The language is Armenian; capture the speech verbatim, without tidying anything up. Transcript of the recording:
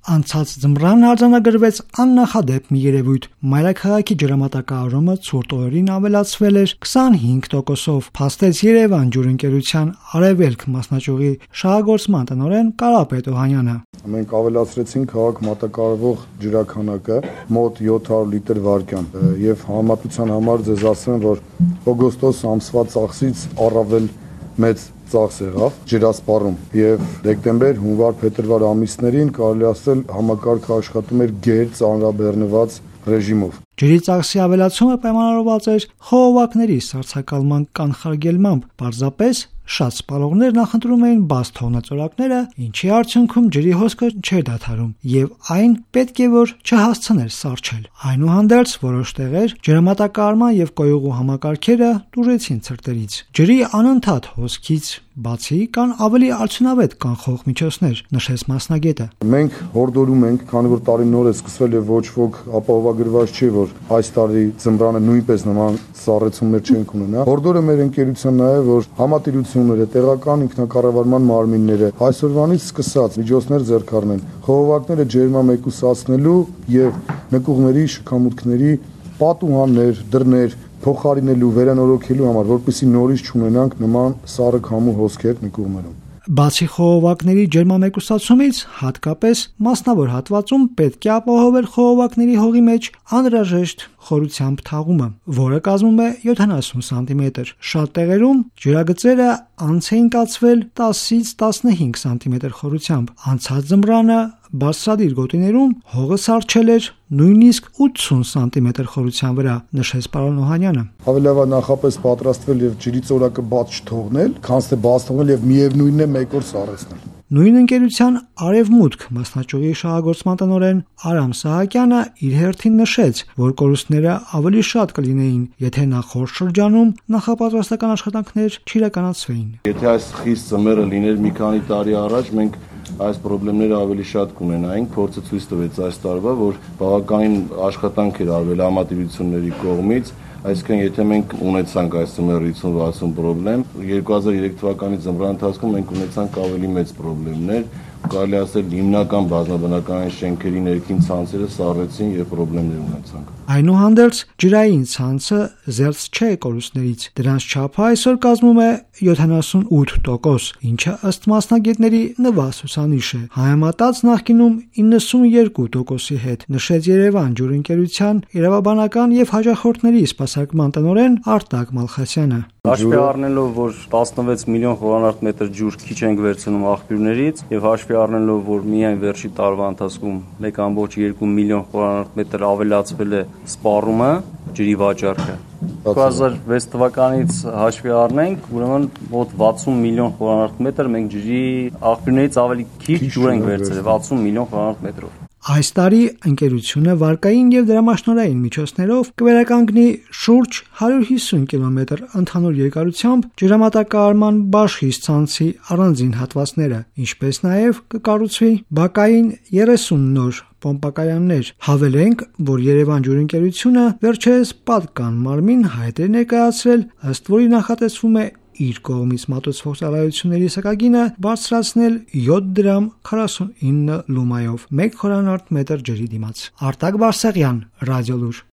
Անցած ձմռան արձանագրվեց աննախադեպ մի երևույթ։ Մայրաքաղաքի ջրամատակարարումը ցուրտ օրերին ավելացվել էր քսանհինգ տոկոսով, փաստեց Երևան ջուրընկերության Արևելք մասնաճյուղի շահագործման տնօրեն Կարապետ Օհանյանը։ Մենք ավելացրեցինք քաղաք մատակարարվող ջրաքանակը մոտ յոթ հարյուր լիտր վայրկյան եւ համեմատության համար ձեզ ասեմ, որ օգոստոս ամսվա ծախսից առավել մեծ ծախս եղավ ջրասպառում եւ դեկտեմբեր, հունվար, փետրվար ամիսներին կարելի ասել համակարգը աշխատում էր գեր ծանրաբեռնված ռեժիմով։ Ջրի ծախսի ավելացումը պայմանավորված էր խողովակների սառցակալման կանխարգելմամբ, պարզապես շատ սպառողներ նախընտրում էին բաց թողնածորակները, ինչի արդյունքում ջրի հոսքը չէր դադարում եւ այն պետք է որ չհասցներ սառչել։ Այնուհանդերձ որոշ տեղեր ջրամատակարարման եւ կոյուղու համակարգերը տուժեցին ցրտերից։ Ջրի անընդհատ հոսքից բացի կան ավելի արդյունավետ կանխող միջոցներ, նշեց մասնագետը։ Մենք հորդորում ենք, քանի որ տարին նոր է սկսվել եւ ոչ ոք ապահովագրված չի, որ այս տարի ձմռանը նույնպես նման սառեցումներ չենք ունենա։ Հորդորը մեր ընկերության նաեւ, որ համատիրությունները, տեղական ինքնակառավարման մարմինները այսօրվանից սկսած միջոցներ ձեռք առնեն, խողովակները ջերմամեկուսացնելու եւ նկուղների, շքամուտքների պատուհաններ, դռներ փոխարինելու, վերանորոգելու համար, որպեսզի նորից չունենանք նման սառը քամու հոսքեր նկուղներում։ Բացի խողովակների ջերմամեկուսացումից, հատկապես մասնավոր հատվածում պետք է ապահովել խողովակների հողի մեջ անհրաժեշտ խորությամբ թաղումը, որը կազմում է յոթանասուն սանտիմետր։ Շատ տեղերում ջրագծերը անց էին կացվել տասից տասնհինգ սանտիմետր խորությամբ։ Անցած ձմռանը բարձրադիր գոտիներում հողը սառչել էր նույնիսկ ութսուն սանտիմետր խորության վրա, նշեց պարոն Օհանյանը։ Ավելի լավ է նախապես պատրաստվել եւ ջրի ծորակը բաց չթողնել, քան թե բաց թողնել եւ միևնույնն է մեկ օր սառեցնել։ Նույն ընկերության Արևմուտք մասնաճյուղի շահագործման տնօրեն Արամ Սահակյանը իր հերթին նշեց, որ կորուստները ավելի շատ կլինեին, եթե նախորդ շրջանում նախապատրաստական աշխատանքներ չիրականացվեին։ Եթե այս խիստ ձմեռը լիներ մի քանի տարի առաջ, մենք այս խնդիրները ավելի շատ կունենայինք։ Փորձը ցույց տվեց այս տարվա, որ բավականին աշխատանք էր արվել համատիրությունների կողմից, այսինքն եթե մենք ունեցանք այս ձմեռը հիսուն վաթսուն խնդրեմ, երկու հազար երեք թվականի ձմռան ընթացքում մենք ունեցանք ավելի մեծ խնդիրներ, կարելի ասել հիմնական բազմաբնակարան շենքերի ներքին ցանցերը սառեցին եւ խնդիրներ ունեցանք։ Այնուհանդերձ ջրային ցանցը զերծ չէ կորուստներից։ Դրանց չափը այսօր կազմում է յոթանասունութ տոկոս, ինչը ըստ մասնագետների նվազ ցուցանիշ է, համեմատած նախկինում իննսունյոթ տոկոսի հետ, նշեց Երևան ջուրընկերության իրավաբանական եւ հաճախորդների սպասարկման տնօրեն Արտակ Մալխասյանը։ Հաշվի առնելով, որ տասնվեց միլիոն խորանարդ մետր ջուր քիչ ենք վերցնում աղբյուրներից եւ հաշվի առնելով, որ միայն վերջի տարվա ընթացքում մեկ ամբողջ երկու միլիոն խորանարդ մետր ավելացվել է սպառումը, ջրի վաճառքը։ երկու հազար վեց թվականից հաշվի առնենք, ուրեմն մոտ վաթսուն միլիոն խորանարդ մետր մենք ջրի աղբյուրներից ավելի քիչ ջուր ենք վերցրել, վաթսուն միլիոն խորանարդ մետրով։ Այս տարի ընկերությունը վարկային եւ դրամաշնորհային միջոցներով կվերականգնի շուրջ հարյուր հիսուն կիլոմետր ընդհանուր երկարությամբ ջրամատակարարման բաշխից ցանցի առանձին հատվածները, ինչպես նաեւ կկառուցվի բակային երեսուն նոր պոմպակայաններ։ Հավելենք, որ Երևան ջուրընկերությունը վերջերս պատկան մարմին հայտ է ներկայացրել, ըստ որի նախատեսվում է իր կողմից մատուցվող ծառայությունների սակագինը բարձրացնել յոթ դրամ քառասունինը լումայով մեկ խորանարդ մետր ջրի դիմաց։ Արտակ Բարսեղյան, Ռադիոլուր։